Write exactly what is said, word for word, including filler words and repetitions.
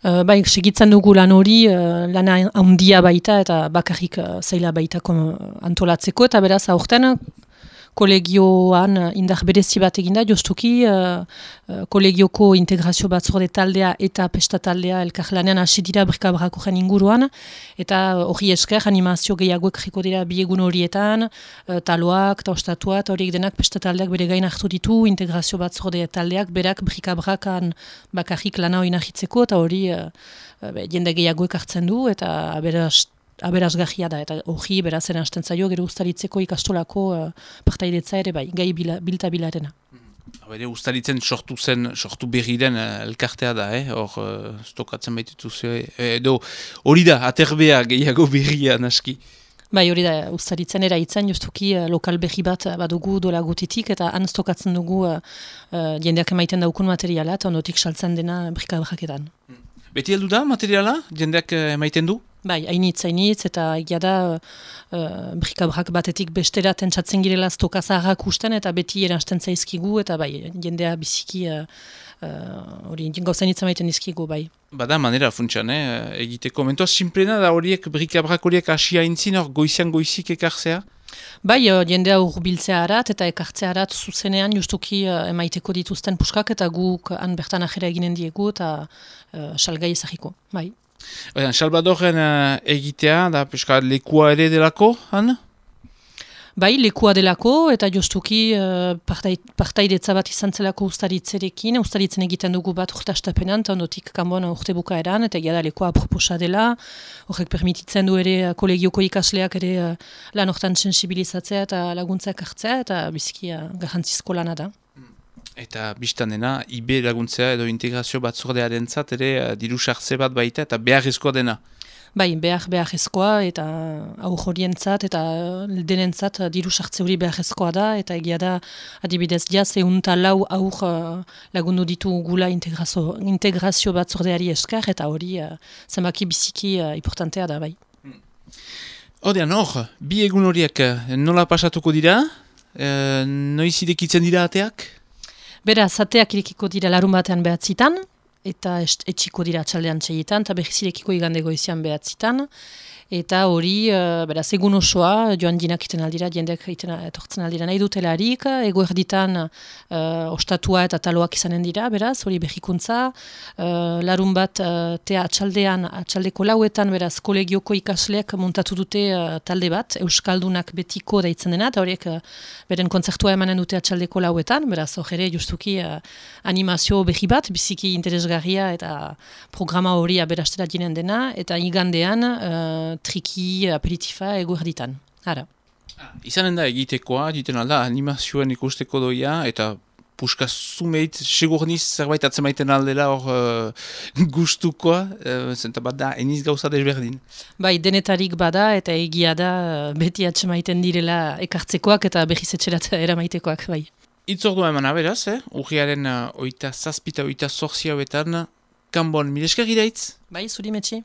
Uh, bai, segitzen dugu lan hori, uh, lana handia baita eta bakarrik uh, zaila baita antolatzeko, eta beraz aurten kolegioan indar berezi bat eginda, justuki uh, uh, kolegioko integrazio batzorde taldea eta pesta taldea elkarlanean hasi dira brikabrakoren inguruan, eta hori esker animazio gehiago ekriko dira biegun horietan, uh, taloak eta ostatua, eta horiek denak pesta taldeak bere gain hartu ditu, integrazio batzorde taldeak berak brikabrakan bakarrik lana hori nahitzeko, eta hori uh, uh, jende gehiago ekartzen du, eta aberaz aberasgarria da, eta hori berazen hasten zaio gero ustaritzeko ikastolako uh, partaidetza ere bai, gai bila, bilta bilarena. Bere ustaritzen sortu zen, sortu berri den uh, elkartea da, eh? Hor uh, stokatzen baitutu zuen, edo hori da, aterbea gehiago berria naski. Bai, hori da, ustaritzen era itzen, justuki uh, lokal berri bat badugu dola gotetik, eta han stokatzen dugu uh, uh, jendeak emaiten daukun materiala, eta ondotik saltzen dena brikabraketan. Hmm. Beti heldu da materiala, jendeak uh, emaiten du? Bai, hainitz, hainitz, eta egia da uh, brikabrak batetik bestera tentsatzen girela stoka zaharrak usten, eta beti eransten zaizkigu, eta bai, jendea biziki hori uh, uh, gauzain hitz emaiten dizkigu, bai. Bada manera funtsan, eh? Egiteko. Mentoaz, simplena da horiek brikabrak horiek asia intzin, hor goizian goizik ekartzea? Bai, uh, jendea urbiltzea harat eta ekartzea harat zuzenean justuki uh, emaiteko dituzten puskak, eta guk han bertan ajera eginen diegu, eta uh, salgai ezagiko, bai. Oian, Salvadoren uh, egitea, da peska lekua ere delako, han? Bai, lekua delako, eta justuki uh, partaidetza bat izan zelako ustaritzerekin, ustaritzen egiten dugu bat urtastapenan, eta ondotik kanbon urte bukaeran, eta egia da lekua aproposa dela, horrek permititzen du ere kolegioko ikasleak ere uh, lan hortan sensibilizatzea eta laguntzak hartzea, eta biziki uh, garrantzizko lana da. Eta biztan dena, I B laguntzea edo integrazio batzordearen zat ere uh, diru sartze bat baita eta beharrezkoa dena. Bai, behar beharrezkoa eta aur horientzat eta denentzat diru sartze hori beharrezkoa da, eta egia da adibidez jaz eunta lau aur uh, lagundu ditu gula integrazio, integrazio batzordeari esker, eta hori uh, zenbaki biziki uh, importantea da, bai. Odean hor, bi egun horiek nola pasatuko dira? E, noiz irekitzen dira ateak? Beraz, ateak irekiko dira larun batean behatzitan, eta etxiko dira atxaldean txeietan, eta behiz irekiko igande goizian behatzitan. Eta hori, uh, beraz, egun osoa, joan dinak iten aldira, jendeak iten etortzen aldira nahi dutelarik, ego erditan uh, ostatua eta taloak izanen dira, beraz, hori behikuntza, uh, larun bat uh, tea atxaldean, atxaldeko lauetan, beraz, kolegioko ikasleak montatu dute uh, talde bat, Euskaldunak betiko daitzen dena, eta horiek uh, beren kontzertua emanen dute atxaldeko lauetan, beraz, hor ere, justuki uh, animazio behi bat, biziki interesgarria eta programa hori aberastera ginen dena, eta igandean, uh, triki, aperitifa, ego erditan. Ara. Ah, izanen da egitekoa, egiten alda, animazioen ikusteko doia, eta puska zumeit, segurniz zerbait atzemaiten aldela hor uh, gustukoa, uh, zenta bat da, eniz gauza desberdin. Bai, denetarik bada, eta egia da, beti atzemaiten direla ekartzekoak, eta behiz etxerat eramaitekoak, bai. Itzordua eman aberaz, eh? Urriaren uh, oita zazpita, oita zorzi hauetan, kanbon, milesker iraitz? Bai, zuri metxi.